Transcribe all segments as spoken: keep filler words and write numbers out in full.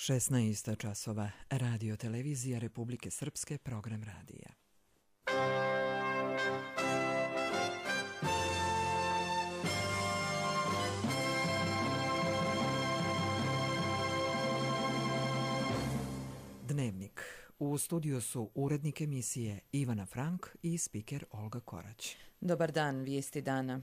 šesnaest časova, Radio Televizija Republike Srpske, program radija. Dnevnik. U studiju su urednik emisije Ivana Frank i spiker Olga Korać. Dobar dan, vijesti dana.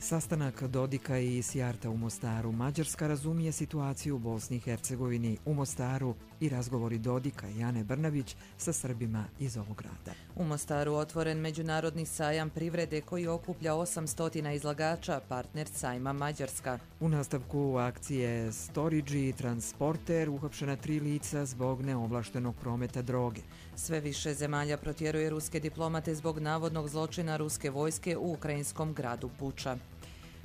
Sastanak Dodika i Sijarta u Mostaru. Mađarska razumije situaciju u Bosni i Hercegovini. U Mostaru i razgovori Dodika i Ane Brnabić sa Srbima iz ovog grada. U Mostaru otvoren međunarodni sajam privrede koji okuplja osamsto izlagača, partner sajma Mađarska. U nastavku akcije Storage i Transporter uhapšena tri lica zbog neovlaštenog prometa droge. Sve više zemalja protjeruje ruske diplomate zbog navodnog zločina ruske vojske u ukrajinskom gradu Buča.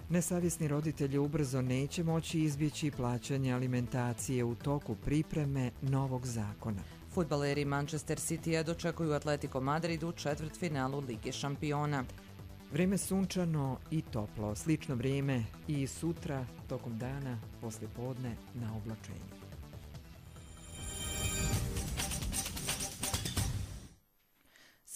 Nesavjesni roditelji ubrzo neće moći izbjeći plaćanje alimentacije u toku pripreme novog zakona. Fudbaleri Manchester Citya dočekuju Atletico Madrid u četvrtfinalu Lige šampiona. Vrijeme sunčano i toplo, slično vrijeme i sutra tokom dana, poslije podne na oblačenju.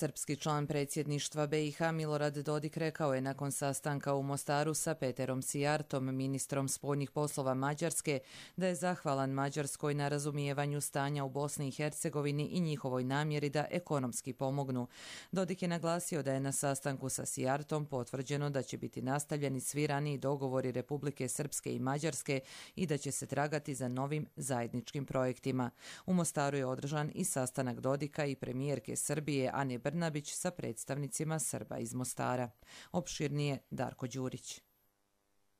Srpski član predsjedništva B i H Milorad Dodik rekao je nakon sastanka u Mostaru sa Peterom Sijartom, ministrom spoljnih poslova Mađarske, da je zahvalan Mađarskoj na razumijevanju stanja u Bosni i Hercegovini i njihovoj namjeri da ekonomski pomognu. Dodik je naglasio da je na sastanku sa Sijartom potvrđeno da će biti nastavljeni svi raniji dogovori Republike Srpske i Mađarske i da će se tragati za novim zajedničkim projektima. U Mostaru je održan i sastanak Dodika i premijerke Srbije Ane Brnabić sa predstavnicima Srba iz Mostara. Opširnije Darko Đurić.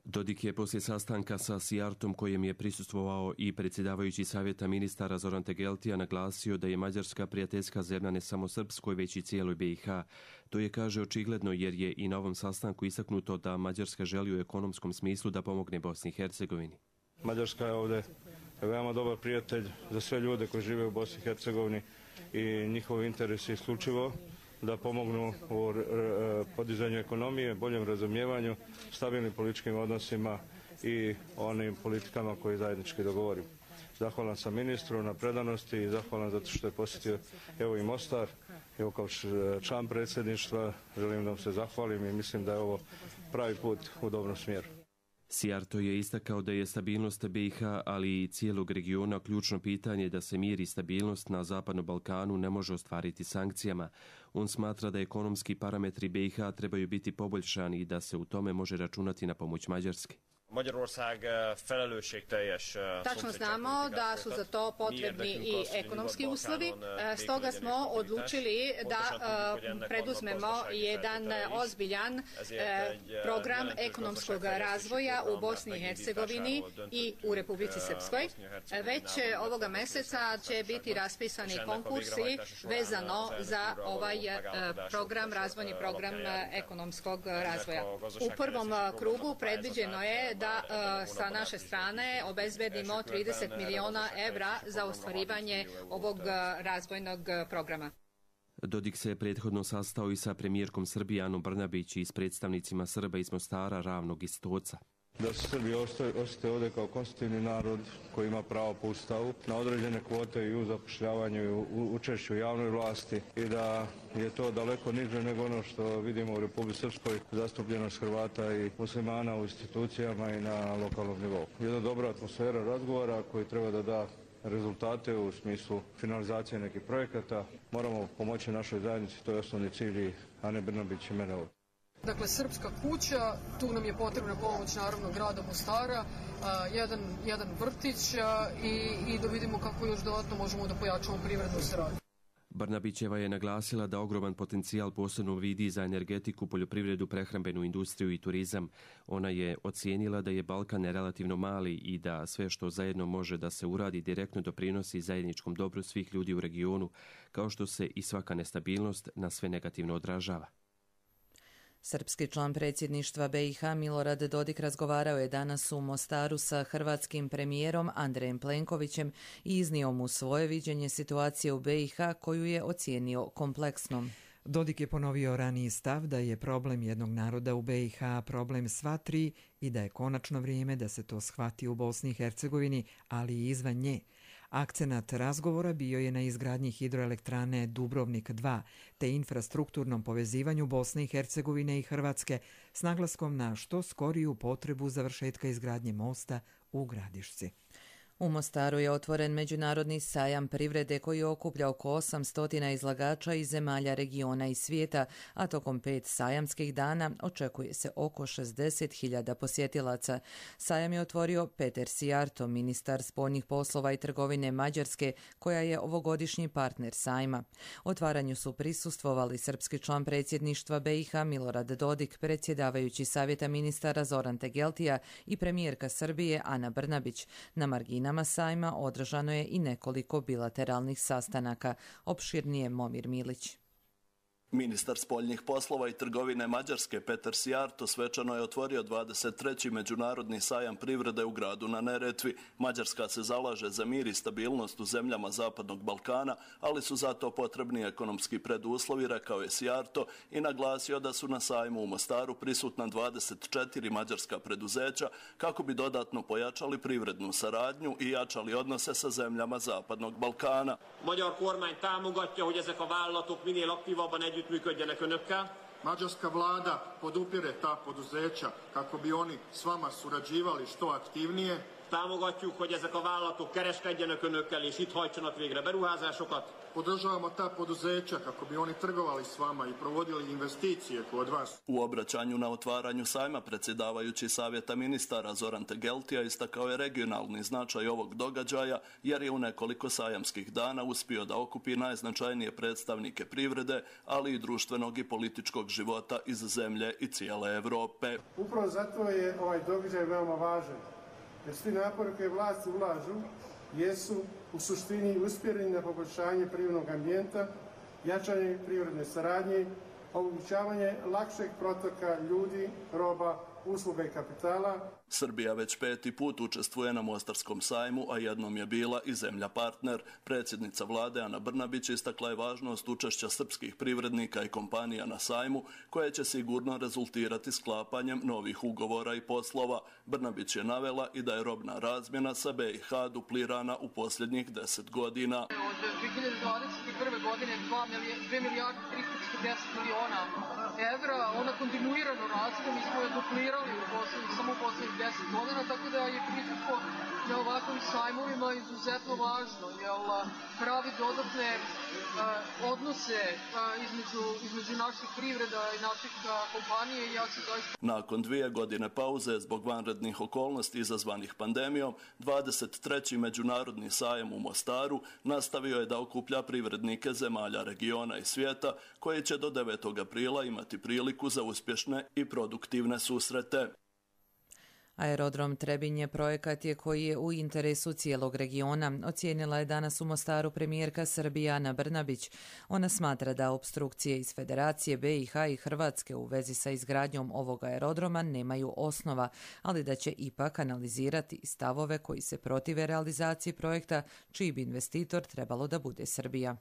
Dodik je poslije sastanka sa Sijartom, kojem je prisustvovao i predsjedavajući savjeta ministara Zoran Tegeltija, naglasio da je Mađarska prijateljska zemlja ne samo Srpskoj, već i cijeloj B i H. To je, kaže, očigledno jer je i na ovom sastanku istaknuto da Mađarska želi u ekonomskom smislu da pomogne Bosni i Hercegovini. Mađarska je ovdje veoma dobar prijatelj za sve ljude koji žive u Bosni i Hercegovini i njihov interes je isključivo da pomognu u podizanju ekonomije, boljem razumijevanju, stabilnim političkim odnosima i onim politikama koje zajednički dogovorimo. Zahvalan sam ministru na predanosti i zahvalan zato što je posjetio evo i Mostar. Evo kao član predsjedništva želim da vam se zahvalim i mislim da je ovo pravi put u dobrom smjeru. Sijarto je istakao da je stabilnost B i H, ali i cijelog regiona ključno pitanje da se mir i stabilnost na Zapadnom Balkanu ne može ostvariti sankcijama. On smatra da ekonomski parametri B i H trebaju biti poboljšani i da se u tome može računati na pomoć Mađarske. Tačno znamo da su za to potrebni i ekonomski uslovi, stoga smo odlučili da preduzmemo jedan ozbiljan program ekonomskog razvoja u Bosni i Hercegovini i u Republici Srpskoj. Već ovoga mjeseca će biti raspisani konkursi vezano za ovaj program, razvojni program ekonomskog razvoja. U prvom krugu predviđeno je da uh, sa naše strane obezbedimo trideset miliona evra za ostvarivanje ovog uh, razvojnog programa. Dodik se prethodno sastao i sa premijerkom Srbije Anom Brnabić i s predstavnicima Srba iz Mostara, Ravnog i Stoca. Da se Srbi osjete ovdje kao konstitutivni narod koji ima pravo po Ustavu na određene kvote i u zapošljavanju i u učešću u javnoj vlasti i da je to daleko niže nego ono što vidimo u Republici Srpskoj, zastupljenost Hrvata i muslimana u institucijama i na lokalnom nivou. Jedna dobra atmosfera razgovora koji treba da da rezultate u smislu finalizacije nekih projekata. Moramo pomoći našoj zajednici, to je osnovni cilj Ane Brnabić i mene ovdje. Dakle, Srpska kuća, tu nam je potrebna pomoć naravno grada Mostara, uh, jedan, jedan vrtić uh, i, i da vidimo kako još dodatno možemo da pojačamo privrednu saradnju. Brnabićeva je naglasila da ogroman potencijal posebno vidi za energetiku, poljoprivredu, prehrambenu industriju i turizam. Ona je ocijenila da je Balkan relativno mali i da sve što zajedno može da se uradi direktno doprinosi zajedničkom dobru svih ljudi u regionu, kao što se i svaka nestabilnost na sve negativno odražava. Srpski član predsjedništva B i H Milorad Dodik razgovarao je danas u Mostaru sa hrvatskim premijerom Andrejem Plenkovićem i iznio mu svoje viđenje situacije u B i H koju je ocijenio kompleksnom. Dodik je ponovio raniji stav da je problem jednog naroda u be i ha problem sva tri i da je konačno vrijeme da se to shvati u Bosni i Hercegovini, ali i izvan nje. Akcenat razgovora bio je na izgradnji hidroelektrane Dubrovnik dva te infrastrukturnom povezivanju Bosne i Hercegovine i Hrvatske s naglaskom na što skoriju potrebu završetka izgradnje mosta u Gradišci. U Mostaru je otvoren međunarodni sajam privrede koji okuplja oko osamsto izlagača iz zemalja regiona i svijeta, a tokom pet sajamskih dana očekuje se oko šezdeset hiljada posjetilaca. Sajam je otvorio Peter Sijarto, ministar spoljnih poslova i trgovine Mađarske, koja je ovogodišnji partner sajma. Otvaranju su prisustvovali srpski član predsjedništva be i ha Milorad Dodik, predsjedavajući savjeta ministara Zoran Tegeltija i premijerka Srbije Ana Brnabić. Na marginama sajma održano je i nekoliko bilateralnih sastanaka. Opširnije Momir Milić. Ministar spoljnih poslova i trgovine Mađarske Peter Sijarto svečano je otvorio dvadeset treći međunarodni sajam privrede u gradu na Neretvi. Mađarska se zalaže za mir i stabilnost u zemljama Zapadnog Balkana, ali su zato potrebni ekonomski preduslovi, rekao je Sijarto i naglasio da su na sajmu u Mostaru prisutna dvadeset četiri mađarska preduzeća kako bi dodatno pojačali privrednu saradnju i jačali odnose sa zemljama Zapadnog Balkana. Magyar kormány támogatja, hogy ezek a vállalatok minél aktívabban együtt működjenek önökkel. Mađarska vlada podupire ta poduzeća kako bi oni s vama surađivali što aktivnije. Támogatjuk, hogy ezek a vállalatok kereskedjenek önökkel és itt hajtsanak végre beruházásokat. Podržavamo ta poduzeća kako bi oni trgovali s vama i provodili investicije kod vas. U obraćanju na otvaranju sajma predsjedavajući savjeta ministara Zoran Tegeltija istakao je regionalni značaj ovog događaja jer je u nekoliko sajamskih dana uspio da okupi najznačajnije predstavnike privrede, ali i društvenog i političkog života iz zemlje i cijele Europe. Upravo zato je ovaj događaj veoma važan, jer svi napori koje vlasti ulažu jesu u suštini usmjereni na poboljšanje privrednog ambijenta, jačanje privredne saradnje, omogućavanje lakšeg protoka ljudi, roba, usluga i kapitala. Srbija već peti put učestvuje na Mostarskom sajmu, a jednom je bila i zemlja partner. Predsjednica vlade Ana Brnabić istakla je važnost učešća srpskih privrednika i kompanija na sajmu, koje će sigurno rezultirati sklapanjem novih ugovora i poslova. Brnabić je navela i da je robna razmjena sa be i ha duplirana u posljednjih deset godina. Od dvije hiljade dvadeset prve. godine dvije milijarde tristo četrdeset miliona evra, ona kontinuirano raste, mi smo je duplirali u posljednjih, samo u posljednjih deset godina, tako da je prisustvo na ovakvim sajmovima izuzetno važno, jer pravi dodatne uh, odnose uh, između, između naših privreda i naših uh, kompanije i ja se doista... Nakon dvije godine pauze zbog vanrednih okolnosti izazvanih pandemijom, dvadeset treći međunarodni sajam u Mostaru nastavio je da okuplja privrednike zemalja regiona i svijeta, koji će do devetog aprila imati priliku za uspješne i produktivne susrete. Aerodrom Trebinje projekat je koji je u interesu cijelog regiona, ocijenila je danas u Mostaru premijerka Srbije Ana Brnabić. Ona smatra da opstrukcije iz Federacije be i ha i Hrvatske u vezi sa izgradnjom ovog aerodroma nemaju osnova, ali da će ipak analizirati stavove koji se protive realizaciji projekta, čiji bi investitor trebalo da bude Srbija.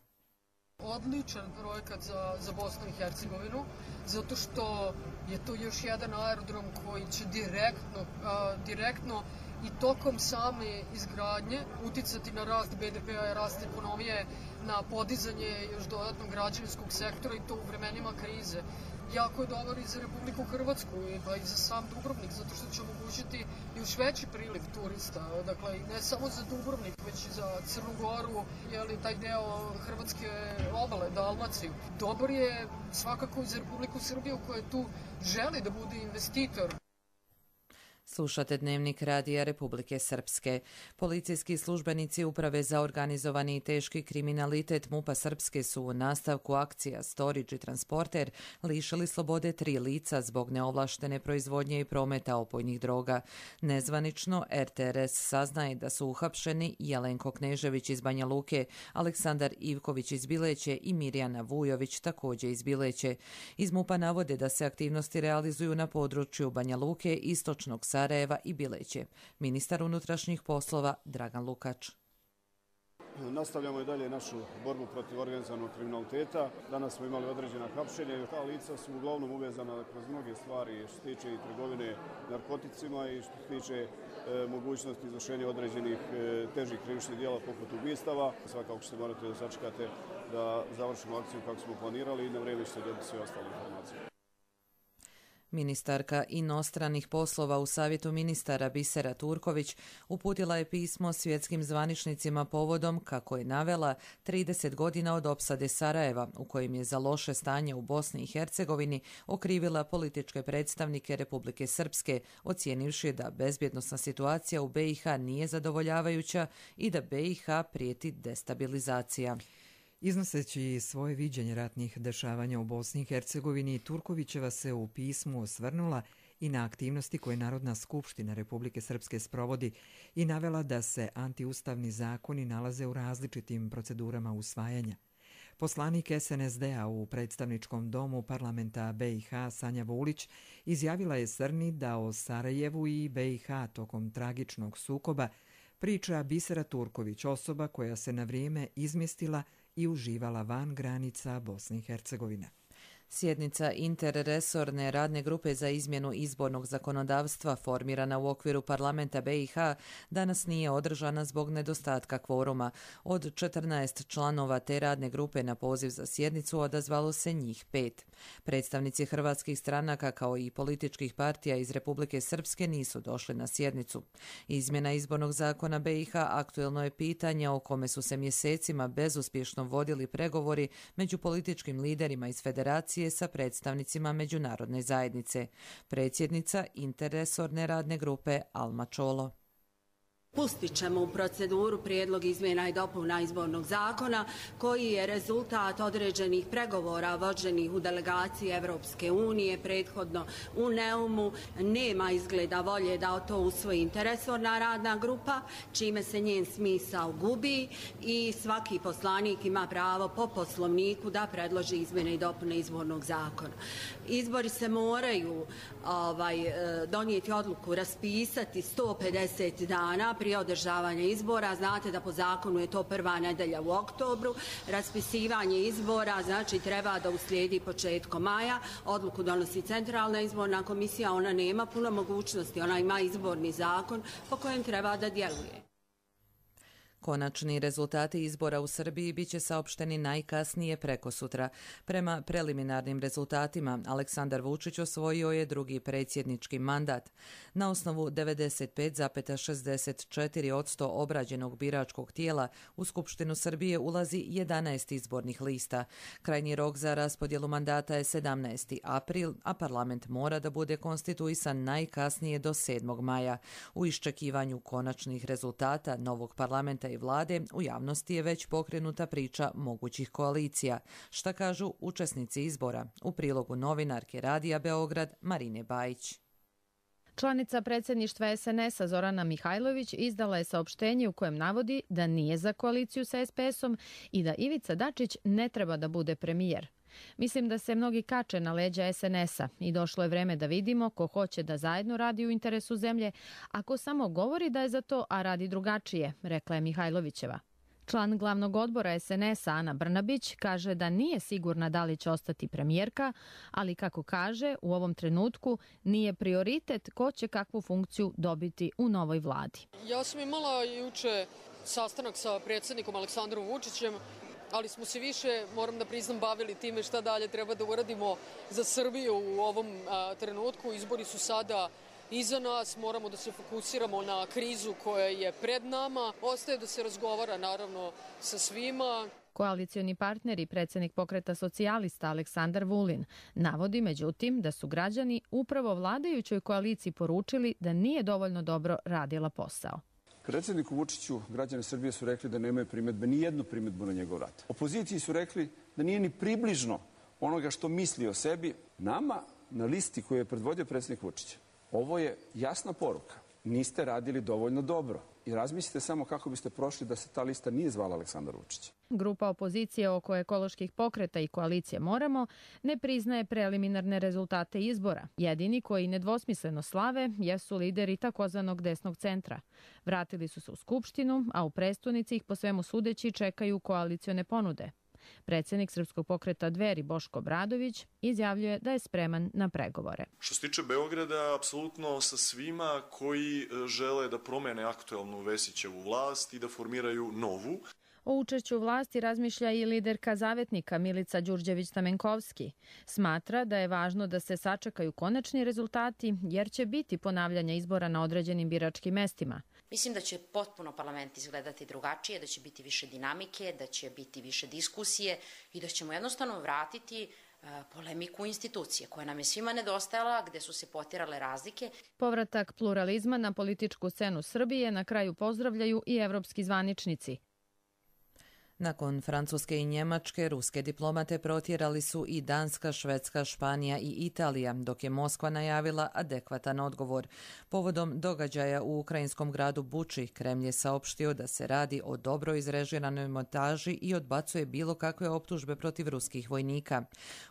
Odličan projekat za, za Bosnu i Hercegovinu, zato što je to još jedan aerodrom koji će direktno, a, direktno i tokom same izgradnje uticati na rast be de pea, rast ekonomije, na podizanje još dodatnog građevinskog sektora i to u vremenima krize. Jako je dobar i za Republiku Hrvatsku i, pa i za sam Dubrovnik, zato što će omogućiti još veći priliv turista. Dakle, ne samo za Dubrovnik, već i za Crnu Goru, jeli, taj deo Hrvatske obale, Dalmaciju. Dobar je svakako i za Republiku Srbiju koja tu želi da bude investitor. Slušate Dnevnik radija Republike Srpske. Policijski službenici Uprave za organizovani i teški kriminalitet MUP-a Srpske su u nastavku akcija Storage i Transporter lišili slobode tri lica zbog neovlaštene proizvodnje i prometa opojnih droga. Nezvanično er te er es saznaje da su uhapšeni Jelenko Knežević iz Banja Luke, Aleksandar Ivković iz Bileće i Mirjana Vujović također iz Bileće. Iz MUP-a navode da se aktivnosti realizuju na području Banja Luke, Istočnog Sarajeva i Bileće. Ministar unutrašnjih poslova Dragan Lukač. Nastavljamo i dalje našu borbu protiv organizovanog kriminaliteta. Danas smo imali određena hapšenja i ta lica su uglavnom uvezana kroz mnoge stvari što se tiče i trgovine narkoticima i što se tiče e, mogućnosti izvršenja određenih e, težih krivičnih djela poput ubistava. Svakako ćete morati da sačekate da završimo akciju kako smo planirali i na vrijeme ćete dobiti sve ostale informacije. Ministarka inostranih poslova u Savjetu ministara Bisera Turković uputila je pismo svjetskim zvaničnicima povodom, kako je navela, trideset godina od opsade Sarajeva, u kojem je za loše stanje u Bosni i Hercegovini okrivila političke predstavnike Republike Srpske, ocijenivši da bezbjednosna situacija u B i H nije zadovoljavajuća i da B i H prijeti destabilizacija. Iznoseći svoje viđenje ratnih dešavanja u Bosni i Hercegovini, Turkovićeva se u pismu osvrnula i na aktivnosti koje Narodna skupština Republike Srpske sprovodi i navela da se antiustavni zakoni nalaze u različitim procedurama usvajanja. Poslanik S N S D-a u predstavničkom domu parlamenta B i H Sanja Vulić izjavila je Srni da o Sarajevu i B i H tokom tragičnog sukoba priča Bisera Turković, osoba koja se na vrijeme izmjestila i uživala van granica Bosne i Hercegovine. Sjednica interresorne radne grupe za izmjenu izbornog zakonodavstva formirana u okviru parlamenta B i H danas nije održana zbog nedostatka kvoruma. Od četrnaest članova te radne grupe na poziv za sjednicu odazvalo se njih pet. Predstavnici hrvatskih stranaka kao i političkih partija iz Republike Srpske nisu došli na sjednicu. Izmjena izbornog zakona B i H aktuelno je pitanje o kome su se mjesecima bezuspješno vodili pregovori među političkim liderima iz federacije sa predstavnicima međunarodne zajednice. Predsjednica interresorne radne grupe Alma Čolo. Pustit ćemo u proceduru prijedlog izmjena i dopuna izbornog zakona koji je rezultat određenih pregovora vođenih u delegaciji Evropske unije, prethodno u Neumu. Nema izgleda volje da to usvoji interresorna radna grupa, čime se njen smisao gubi i svaki poslanik ima pravo po poslovniku da predloži izmjene i dopune izbornog zakona. Izbori se moraju ovaj, donijeti odluku, raspisati sto pedeset dana prije održavanja izbora. Znate da po zakonu je to prva nedelja u oktobru. Raspisivanje izbora znači treba da uslijedi početkom maja. Odluku donosi Centralna izborna komisija, ona nema puno mogućnosti, ona ima izborni zakon po kojem treba da djeluje. Konačni rezultati izbora u Srbiji biće saopšteni najkasnije prekosutra. Prema preliminarnim rezultatima, Aleksandar Vučić osvojio je drugi predsjednički mandat. Na osnovu devedeset pet zarez šezdeset četiri posto obrađenog biračkog tijela u Skupštinu Srbije ulazi jedanaest izbornih lista. Krajnji rok za raspodjelu mandata je sedamnaesti april, a parlament mora da bude konstituisan najkasnije do sedmog maja. U iščekivanju konačnih rezultata novog parlamenta i vlade u javnosti je već pokrenuta priča mogućih koalicija. Šta kažu učesnici izbora? U prilogu novinarke Radija Beograd Marine Bajić. Članica predsjedništva S N S-a Zorana Mihajlović izdala je saopštenje u kojem navodi da nije za koaliciju sa S P S-om i da Ivica Dačić ne treba da bude premijer. Mislim da se mnogi kače na leđa S N S-a i došlo je vreme da vidimo ko hoće da zajedno radi u interesu zemlje, a ko samo govori da je za to, a radi drugačije, rekla je Mihajlovićeva. Član glavnog odbora S N S-a Ana Brnabić kaže da nije sigurna da li će ostati premijerka, ali kako kaže, u ovom trenutku nije prioritet ko će kakvu funkciju dobiti u novoj vladi. Ja sam imala juče sastanak sa predsjednikom Aleksandrom Vučićem, ali smo se više, moram da priznam, bavili time šta dalje treba da uradimo za Srbiju u ovom a, trenutku. Izbori su sada iza nas, moramo da se fokusiramo na krizu koja je pred nama. Ostaje da se razgovara naravno sa svima. Koalicioni partner i predsjednik Pokreta socijalista Aleksandar Vulin navodi međutim da su građani upravo vladajućoj koaliciji poručili da nije dovoljno dobro radila posao. Predsjedniku Vučiću građani Srbije su rekli da nemaju primjedbe, ni jednu primjedbu na njegov rad. Opoziciji su rekli da nije ni približno onoga što misli o sebi. Nama na listi koju je predvodio predsjednik Vučić, ovo je jasna poruka. niste radili dovoljno dobro. I razmislite samo kako biste prošli da se ta lista nije zvala Aleksandar Vučić. Grupa opozicije oko ekoloških pokreta i koalicije Moramo ne priznaje preliminarne rezultate izbora. Jedini koji nedvosmisleno slave jesu lideri takozvanog desnog centra. Vratili su se u Skupštinu, a u prestonici ih po svemu sudeći čekaju koalicione ponude. Predsjednik Srpskog pokreta Dveri Boško Obradović izjavljuje da je spreman na pregovore. Što se tiče Beograda, apsolutno sa svima koji žele da promene aktuelnu Vesićevu vlast i da formiraju novu. O učešću u vlasti razmišlja i liderka Zavetnika Milica Đurđević-Stamenkovski. Smatra da je važno da se sačekaju konačni rezultati jer će biti ponavljanja izbora na određenim biračkim mestima. Mislim da će potpuno parlament izgledati drugačije, da će biti više dinamike, da će biti više diskusije i da ćemo jednostavno vratiti polemiku institucije koja nam je svima nedostajala, gde su se potirale razlike. Povratak pluralizma na političku scenu Srbije na kraju pozdravljaju i evropski zvaničnici. Nakon Francuske i Njemačke, ruske diplomate protjerali su i Danska, Švedska, Španija i Italija, dok je Moskva najavila adekvatan odgovor. Povodom događaja u ukrajinskom gradu Buči, Kremlj je saopštio da se radi o dobro izrežiranoj montaži i odbacuje bilo kakve optužbe protiv ruskih vojnika.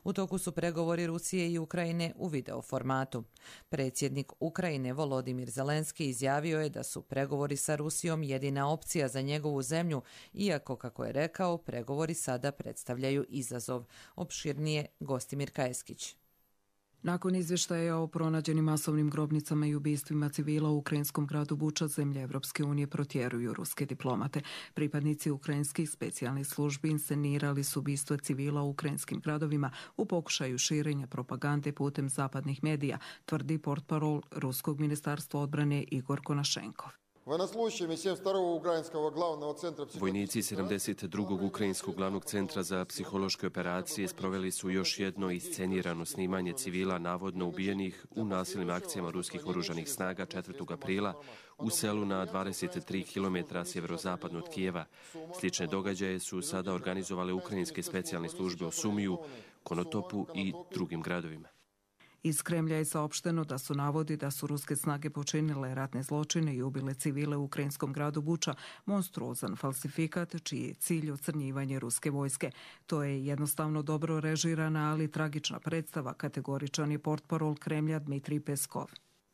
U toku su pregovori Rusije i Ukrajine u video formatu. Predsjednik Ukrajine Volodimir Zelenski izjavio je da su pregovori sa Rusijom jedina opcija za njegovu zemlju, iako, kako je rekao, pregovori sada predstavljaju izazov. Opširnije Gostimir Kajeskić. Nakon izvještaja o pronađenim masovnim grobnicama i ubistvima civila u ukrajinskom gradu Buča, zemlje Evropske unije protjeruju ruske diplomate. Pripadnici ukrajinskih specijalnih službi inscenirali su ubistva civila u ukrajinskim gradovima u pokušaju širenja propagande putem zapadnih medija, tvrdi portparol Ruskog ministarstva odbrane Igor Konašenkov. Vojnici sedamdeset drugog ukrajinskog glavnog centra za psihološke operacije sproveli su još jedno iscenirano snimanje civila navodno ubijenih u nasilnim akcijama ruskih oružanih snaga četvrtog aprila u selu na dvadeset tri kilometra sjeverozapadno od Kijeva. Slične događaje su sada organizovale ukrajinske specijalne službe u Sumiju, Konotopu i drugim gradovima. Iz Kremlja je saopšteno da su navodi da su ruske snage počinile ratne zločine i ubile civile u ukrajinskom gradu Buča monstruozan falsifikat čiji je cilj ocrnjivanje ruske vojske. To je jednostavno dobro režirana, ali tragična predstava, kategoričan je portparol Kremlja Dmitrij Peskov.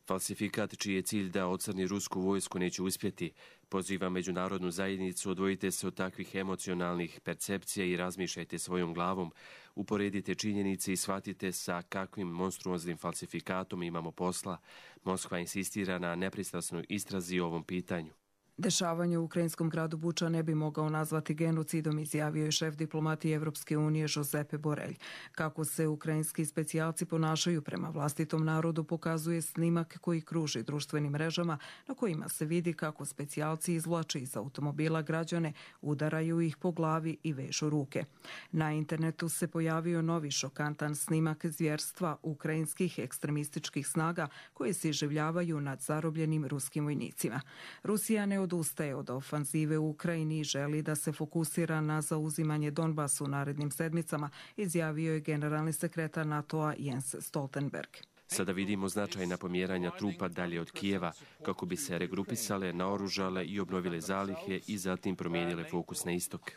Falsifikat čiji je cilj da ocrni rusku vojsku neće uspjeti. Poziva međunarodnu zajednicu, odvojite se od takvih emocionalnih percepcija i razmišljajte svojom glavom. Uporedite činjenice i shvatite sa kakvim monstruoznim falsifikatom imamo posla. Moskva insistira na nepristrasnoj istrazi o ovom pitanju. Dešavanje u ukrajinskom gradu Buča ne bi mogao nazvati genocidom, izjavio je šef diplomatije Evropske unije Josepe Borelj. Kako se ukrajinski specijalci ponašaju prema vlastitom narodu pokazuje snimak koji kruži društvenim mrežama na kojima se vidi kako specijalci izvlače iz automobila građane, udaraju ih po glavi i vežu ruke. Na internetu se pojavio novi šokantan snimak zvjerstva ukrajinskih ekstremističkih snaga koje se iživljavaju nad zarobljenim ruskim vojnicima. Rusija ne odustaje od ofanzive u Ukrajini i želi da se fokusira na zauzimanje Donbasa u narednim sedmicama, izjavio je generalni sekretar NATO-a Jens Stoltenberg. Sada vidimo značajna pomjeranja trupa dalje od Kijeva, kako bi se regrupisale, naoružale i obnovile zalihe i zatim promijenile fokus na istok.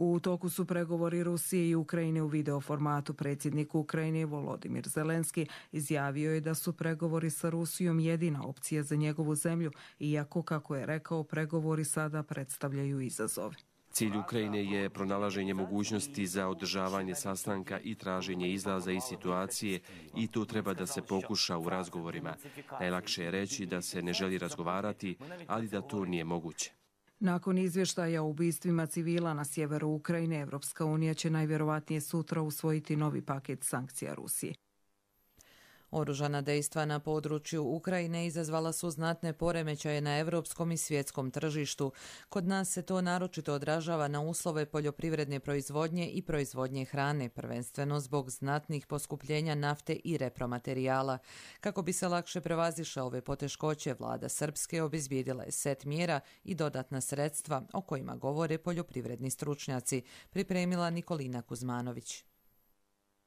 U toku su pregovori Rusije i Ukrajine u video formatu. Predsjednik Ukrajine Volodimir Zelenski izjavio je da su pregovori sa Rusijom jedina opcija za njegovu zemlju, iako, kako je rekao, pregovori sada predstavljaju izazove. Cilj Ukrajine je pronalaženje mogućnosti za održavanje sastanka i traženje izlaza iz situacije i to treba da se pokuša u razgovorima. Najlakše je reći da se ne želi razgovarati, ali da to nije moguće. Nakon izvještaja o ubistvima civila na sjeveru Ukrajine, Evropska unija će najvjerovatnije sutra usvojiti novi paket sankcija Rusiji. Oružana dejstva na području Ukrajine izazvala su znatne poremećaje na evropskom i svjetskom tržištu. Kod nas se to naročito odražava na uslove poljoprivredne proizvodnje i proizvodnje hrane, prvenstveno zbog znatnih poskupljenja nafte i repromaterijala. Kako bi se lakše prevazišle ove poteškoće, vlada Srpske obezbijedila je set mjera i dodatna sredstva o kojima govore poljoprivredni stručnjaci, pripremila Nikolina Kuzmanović.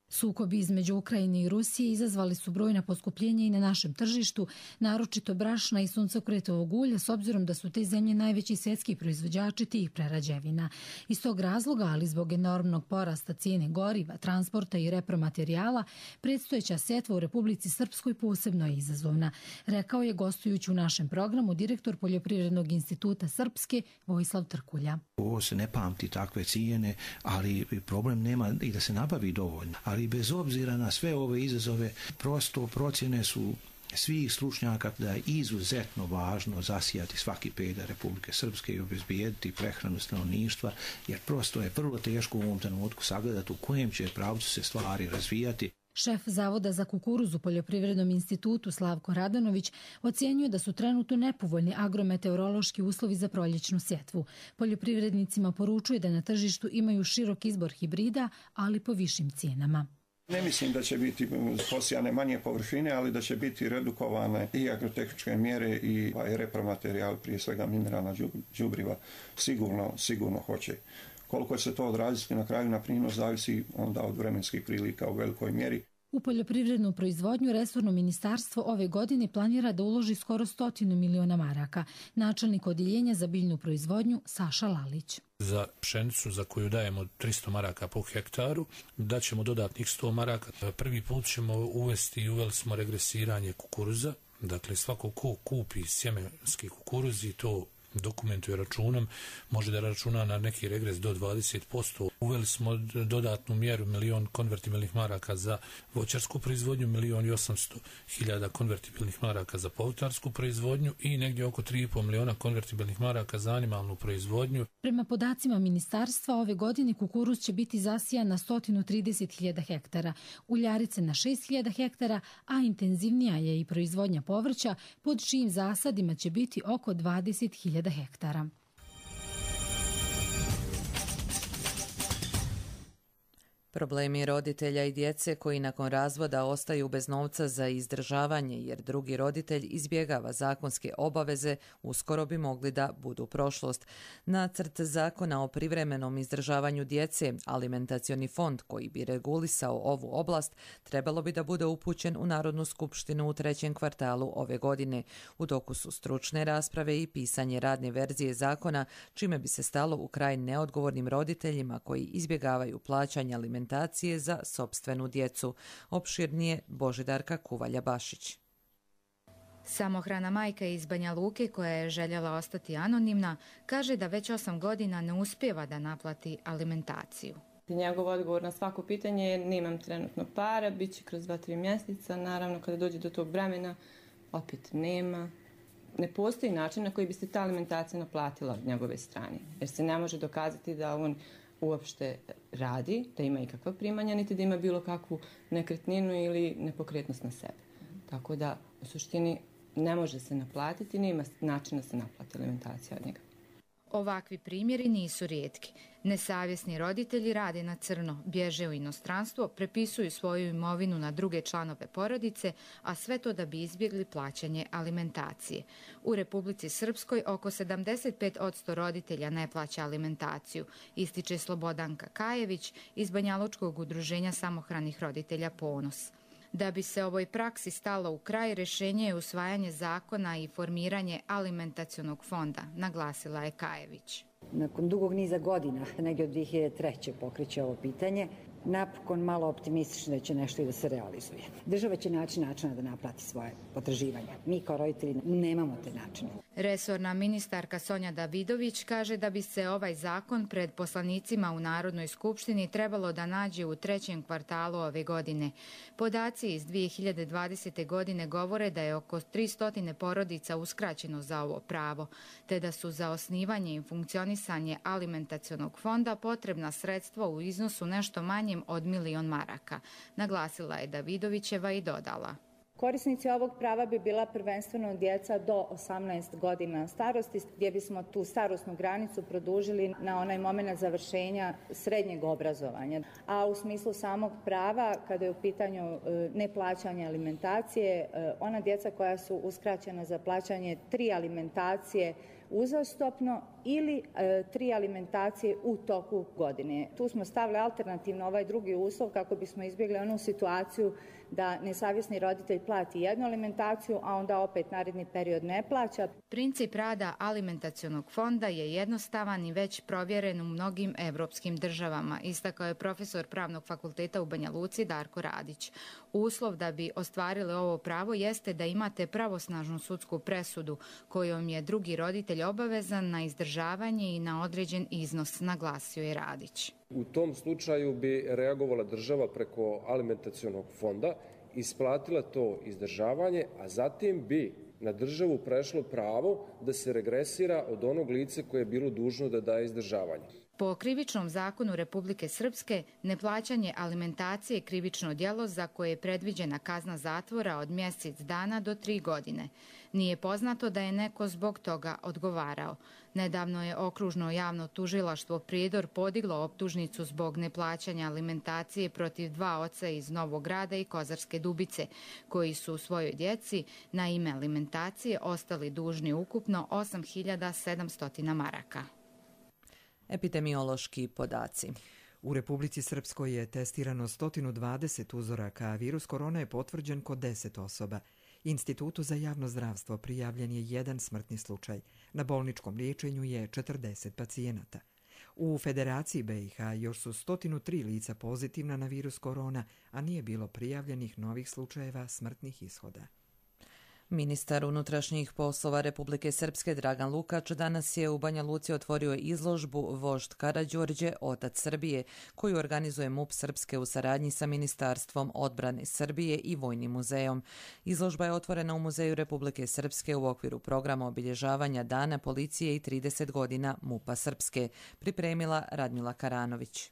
Sukobi između Ukrajine i Rusije izazvali su brojna poskupljenja i na našem tržištu, naročito brašna i suncokretovog ulja, s obzirom da su te zemlje najveći svjetski proizvođači tih prerađevina. Iz tog razloga, ali zbog enormnog porasta cijene goriva, transporta i repromaterijala, predstojeća setva u Republici Srpskoj posebno je izazovna, rekao je gostujući u našem programu direktor Poljoprivrednog instituta Srpske Vojislav Trkulja. Ovo se ne pamti takve cijene, ali problem nema i da se nabavi dovoljno. Ali bez obzira na sve ove izazove, prosto procjene su svih stručnjaka da je izuzetno važno zasijati svaki pedalj Republike Srpske i obezbijediti prehranu stanovništva, jer prosto je vrlo teško u ovom trenutku sagledati u kojem će pravcu se stvari razvijati. Šef Zavoda za kukuruz u Poljoprivrednom institutu Slavko Radanović ocjenjuje da su trenutno nepovoljni agrometeorološki uslovi za proljećnu sjetvu. Poljoprivrednicima poručuje da na tržištu imaju širok izbor hibrida, ali po višim cijenama. Ne mislim da će biti posijane manje površine, ali da će biti redukovane i agrotehničke mjere i repromaterijal, prije svega mineralna đubriva, sigurno, sigurno hoće. Koliko će se to odraziti na kraju na prinos zavisi onda od vremenskih prilika u velikoj mjeri. U poljoprivrednu proizvodnju resorno ministarstvo ove godine planira da uloži skoro stotinu miliona maraka. Načelnik odjeljenja za biljnu proizvodnju Saša Lalić. Za pšenicu za koju dajemo tristo maraka po hektaru, daćemo dodatnih sto maraka. Prvi put ćemo uvesti i uveli smo regresiranje kukuruza. Dakle, svako ko kupi sjemenski kukuruz i to dokumentuje računom, može da računa na neki regres do dvadeset posto. Uveli smo dodatnu mjeru milion konvertibilnih maraka za voćarsku proizvodnju, milion i osamsto hiljada konvertibilnih maraka za povrtarsku proizvodnju i negdje oko tri i pol miliona konvertibilnih maraka za animalnu proizvodnju. Prema podacima ministarstva, ove godine kukuruz će biti zasijan na sto trideset hiljada hektara, uljarice na šest hiljada hektara, a intenzivnija je i proizvodnja povrća, pod čijim zasadima će biti oko dvadeset hiljada hektara. Problemi roditelja i djece koji nakon razvoda ostaju bez novca za izdržavanje jer drugi roditelj izbjegava zakonske obaveze uskoro bi mogli da budu prošlost. Nacrt zakona o privremenom izdržavanju djece, alimentacioni fond koji bi regulisao ovu oblast, trebalo bi da bude upućen u Narodnu skupštinu u trećem kvartalu ove godine. U toku su stručne rasprave i pisanje radne verzije zakona, čime bi se stalo u kraj neodgovornim roditeljima koji izbjegavaju plaćanje alimentacije za sopstvenu djecu. Opširnije Božidarka Kuvalja-Bašić. Samohrana majka iz Banja Luke koja je željela ostati anonimna kaže da već osam godina ne uspijeva da naplati alimentaciju. Njegov odgovor na svako pitanje je nemam trenutno para, bit će kroz dva, tri mjeseca. Naravno, kada dođe do tog vremena, opet nema. Ne postoji način na koji bi se ta alimentacija naplatila od njegove strane, jer se ne može dokazati da on uopšte radi, da ima ikakva primanja, niti da ima bilo kakvu nekretninu ili nepokretnost na sebe. Tako da, u suštini, ne može se naplatiti, nema načina da se naplati alimentacija od njega. Ovakvi primjeri nisu rijetki. Nesavjesni roditelji rade na crno, bježe u inostranstvo, prepisuju svoju imovinu na druge članove porodice, a sve to da bi izbjegli plaćanje alimentacije. U Republici Srpskoj oko sedamdeset pet posto roditelja ne plaća alimentaciju, ističe Slobodanka Kajević iz Banjalučkog udruženja samohranih roditelja Ponos. Da bi se ovoj praksi stalo u kraj, rješenje je usvajanje zakona i formiranje alimentacionog fonda, naglasila je Kajević. Nakon dugog niza godina, negdje od dvije hiljade treće pokreće ovo pitanje, napokon malo optimistično da će nešto i da se realizuje. Država će naći načina da naplati svoje potraživanja. Mi kao roditelji nemamo te načine. Resorna ministarka Sonja Davidović kaže da bi se ovaj zakon pred poslanicima u Narodnoj skupštini trebalo da nađe u trećem kvartalu ove godine. Podaci iz dvije hiljade dvadesete. godine govore da je oko tristo porodica uskraćeno za ovo pravo, te da su za osnivanje i funkcionisanje alimentacionog fonda potrebna sredstva u iznosu nešto manjem od milion maraka, naglasila je Davidovićeva i dodala. Korisnici ovog prava bi bila prvenstveno djeca do osamnaest godina starosti, gdje bismo tu starosnu granicu produžili na onaj moment završenja srednjeg obrazovanja. A u smislu samog prava, kada je u pitanju neplaćanje alimentacije, ona djeca koja su uskraćena za plaćanje tri alimentacije uzastopno ili e, tri alimentacije u toku godine. Tu smo stavili alternativno ovaj drugi uslov kako bismo izbjegli onu situaciju da nesavjesni roditelj plati jednu alimentaciju, a onda opet naredni period ne plaća. Princip rada alimentacionog fonda je jednostavan i već provjeren u mnogim evropskim državama, istakao je profesor Pravnog fakulteta u Banja Luci Darko Radić. Uslov da bi ostvarili ovo pravo jeste da imate pravosnažnu sudsku presudu kojom je drugi roditelj obavezan na izdržavanje i na određen iznos, naglasio je Radić. U tom slučaju bi reagovala država preko alimentacionog fonda, isplatila to izdržavanje, a zatim bi na državu prešlo pravo da se regresira od onog lice koje je bilo dužno da daje izdržavanje. Po krivičnom zakonu Republike Srpske, neplaćanje alimentacije je krivično djelo za koje je predviđena kazna zatvora od mjesec dana do tri godine. Nije poznato da je neko zbog toga odgovarao. Nedavno je okružno javno tužilaštvo Prijedor podiglo optužnicu zbog neplaćanja alimentacije protiv dva oca iz Novog Grada i Kozarske Dubice, koji su svojoj djeci na ime alimentacije ostali dužni ukupno osam hiljada sedamsto maraka. Epidemiološki podaci. U Republici Srpskoj je testirano sto dvadeset uzoraka, a virus korona je potvrđen kod deset osoba. Institutu za javno zdravstvo prijavljen je jedan smrtni slučaj. Na bolničkom liječenju je četrdeset pacijenata. U Federaciji B i H još su sto tri lica pozitivna na virus korona, a nije bilo prijavljenih novih slučajeva smrtnih ishoda. Ministar unutrašnjih poslova Republike Srpske Dragan Lukač danas je u Banja Luci otvorio izložbu Vožd Karađorđe, otac Srbije, koju organizuje M U P Srpske u saradnji sa Ministarstvom odbrane Srbije i Vojnim muzejom. Izložba je otvorena u Muzeju Republike Srpske u okviru programa obilježavanja Dana policije i trideset godina M U P-a Srpske, pripremila Radmila Karanović.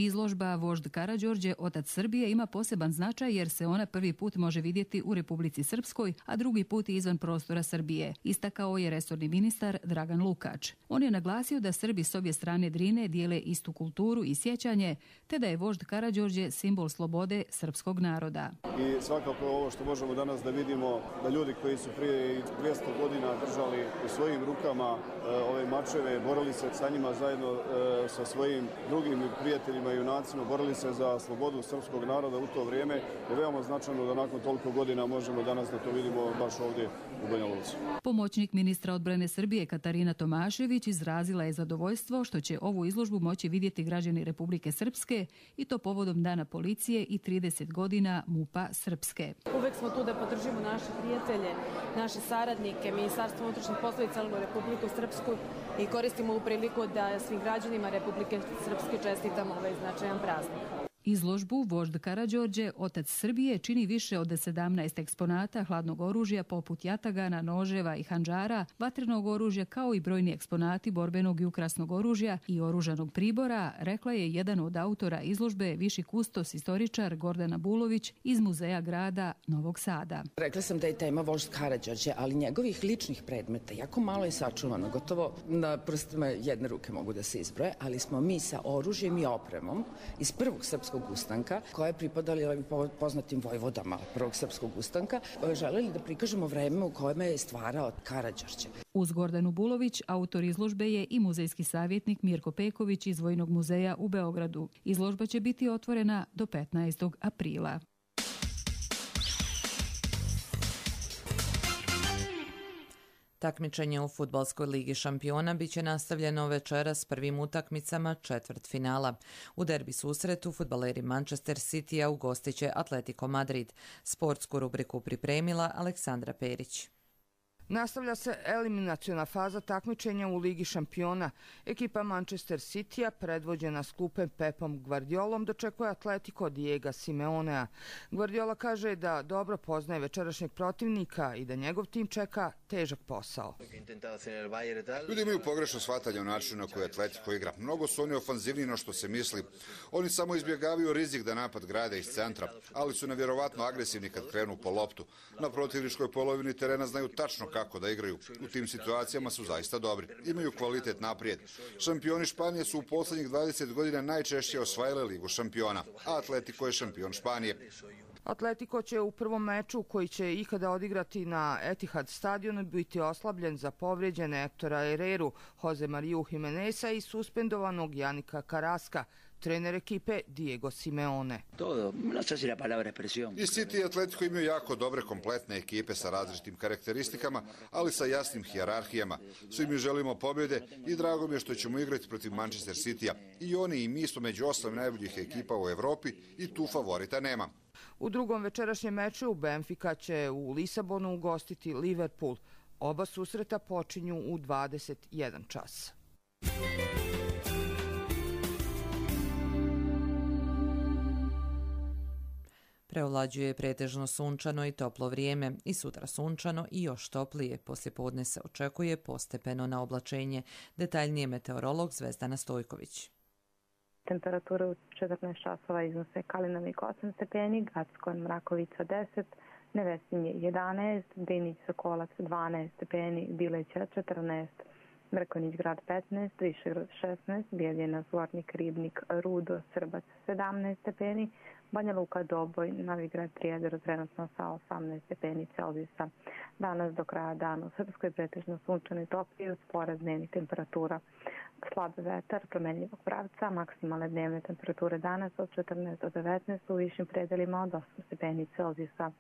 Izložba Vožd Karađorđe, otac Srbije, ima poseban značaj jer se ona prvi put može vidjeti u Republici Srpskoj, a drugi put izvan prostora Srbije, istakao je resorni ministar Dragan Lukač. On je naglasio da Srbi s obje strane Drine dijele istu kulturu i sjećanje, te da je Vožd Karađorđe simbol slobode srpskog naroda. I svakako ovo što možemo danas da vidimo, da ljudi koji su prije dvjesto godina držali u svojim rukama e, ove mačeve, borili se sa njima zajedno e, sa svojim drugim prijateljima i junacima, borili se za slobodu srpskog naroda u to vrijeme, je veoma značajno da nakon toliko godina možemo danas da to vidimo baš ovdje u Banja Luci. Pomoćnik ministra odbrane Srbije Katarina Tomašević izrazila je zadovoljstvo što će ovu izložbu moći vidjeti građani Republike Srpske i to povodom Dana policije i trideset godina M U P-a Srpske. Uvek smo tu da podržimo naše prijatelje, naše saradnike, Ministarstvo unutrašnjih poslova i celu Republiku Srpsku i koristimo ovu priliku da svim građanima Republike Srpske čestitamo ovaj značajan praznik. Izložbu Vožd Karađorđe, otac Srbije, čini više od sedamnaest eksponata hladnog oružja poput jatagana, noževa i handžara, vatrenog oružja kao i brojni eksponati borbenog i ukrasnog oružja i oružanog pribora, rekla je jedan od autora izložbe, viši kustos istoričar Gordana Bulović iz Muzeja grada Novog Sada. Rekla sam da je tema Vožd Karađorđe, ali njegovih ličnih predmeta jako malo je sačuvano, gotovo na prstima jedne ruke mogu da se izbroje, ali smo mi sa oružjem i opremom iz prvog srpskog ustanka, koja je pripadala poznatim vojvodama prvog srpskog ustanka, želeli da prikažemo vreme u kojem je stvarao Karađorđe. Uz Gordanu Bulović, autor izložbe je i muzejski savjetnik Mirko Peković iz Vojnog muzeja u Beogradu. Izložba će biti otvorena do petnaestog aprila. Takmičenje u Fudbalskoj ligi šampiona biće nastavljeno večeras s prvim utakmicama četvrtfinala. U derbi susretu fudbaleri Manchester City-a ugostiće Atletico Madrid. Sportsku rubriku pripremila Aleksandra Perić. Nastavlja se eliminaciona faza takmičenja u Ligi šampiona. Ekipa Manchester City-a, predvođena sklupem Pepom Guardiolom, dočekuje Atletico Diego Simeonea. Guardiola kaže da dobro poznaje večerašnjeg protivnika i da njegov tim čeka težak posao. Ljudi imaju pogrešno shvatanje o načinu na koji Atletico igra. Mnogo su oni ofanzivniji no što se misli. Oni samo izbjegavaju rizik da napad grade iz centra, ali su nevjerovatno agresivni kad krenu po loptu. Na protivničkoj polovini terena znaju tačno kako da igraju. U tim situacijama su zaista dobri. Imaju kvalitet naprijed. Šampioni Španije su u posljednjih dvadeset godina najčešće osvajali Ligu šampiona, a Atletico je šampion Španije. Atletico će u prvom meču koji će ikada odigrati na Etihad stadionu biti oslabljen za povrijeđene Ektora Herreru, Jose Mariju Jimeneza i suspendovanog Janika Karaska, trener ekipe Diego Simeone. I City i Atletico imaju jako dobre kompletne ekipe sa različitim karakteristikama, ali sa jasnim hijerarhijama. Svi mi želimo pobjede i drago mi je što ćemo igrati protiv Manchester Citya. I oni i mi smo među osam najboljih ekipa u Evropi i tu favorita nema. U drugom večerašnjem meču Benfica će u Lisabonu ugostiti Liverpool. Oba susreta počinju u dvadeset jedan čas. Preovlađuje pretežno sunčano i toplo vrijeme i sutra sunčano i još toplije. Poslijepodne se očekuje postepeno na oblačenje. Detaljnije meteorolog Zvezdana Stojković. Temperature u četrnaest časova iznose Kalinovik osam stepeni, Gacko Mrakovica deset, Nevesinje jedanaest, Drinić Sokolac dvanaest stepeni, Bileća četrnaest, Mrkonić grad petnaest, Višegrad šesnaest, Bijeljina Zvornik Ribnik Rudo Srbac sedamnaest stepeni, Banja Luka Doboj, Novigrad Prijedor trenutno sa osamnaest stepeni Celzijusa. Danas do kraja dana u Srpskoj pretežno sunčano i toplije uz porast dnevnih temperatura. Slab vetar promenljivog pravca, maksimalne dnevne temperature danas od četrnaest do devetnaest, u višim predelima od osam stepeni Celzijusa.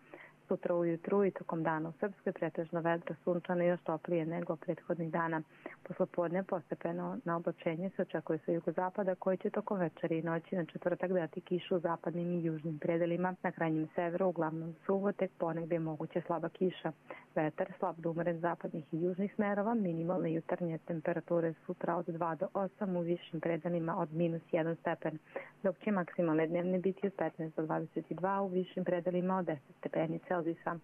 Sutra ujutru i tokom dana u Srpskoj pretežno vedro, sunčano i još toplije nego prethodnih dana. Poslepodne postepeno na oblačenje se očekuje sa jugozapada koji će tokom večeri i noći na četvrtak dati kišu u zapadnim i južnim predelima. Na krajnjem severu uglavnom suvo, tek ponegdje je moguće slaba kiša. Vetar slab do umeren zapadnih i južnih smerova, minimalne jutarnje temperature sutra od dva do osam, u višim predelima od minus jedan stepen, dok će maksimalne dnevne biti od petnaest do dvadeset dva, u višim predelima od deset stepeni Celzijusa.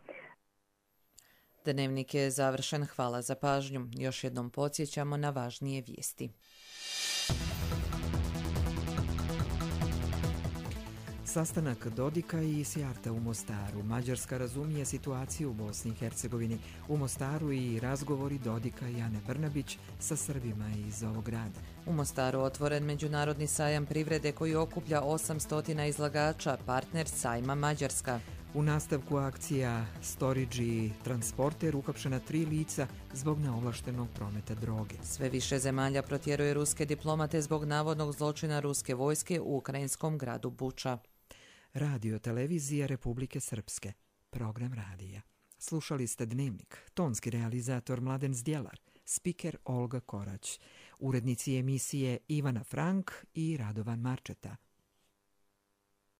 Dnevnik je završen, hvala za pažnju. Još jednom podsjećamo na važnije vijesti. Sastanak Dodika i Sijarta u Mostaru. Mađarska razumije situaciju u Bosni i Hercegovini. U Mostaru i razgovori Dodika i Ane Brnabić sa Srbima iz ovog grada. U Mostaru otvoren međunarodni sajam privrede koji okuplja osamsto izlagača, partner sajma Mađarska. U nastavku akcija Storage Transporter uhapšena tri lica zbog neovlaštenog prometa droge. Sve više zemalja protjeruje ruske diplomate zbog navodnog zločina ruske vojske u ukrajinskom gradu Buča. Radio televizija Republike Srpske. Program radija. Slušali ste Dnevnik. Tonski realizator Mladen Zdjelar. Spiker Olga Korać. Urednici emisije Ivana Frank i Radovan Marčeta.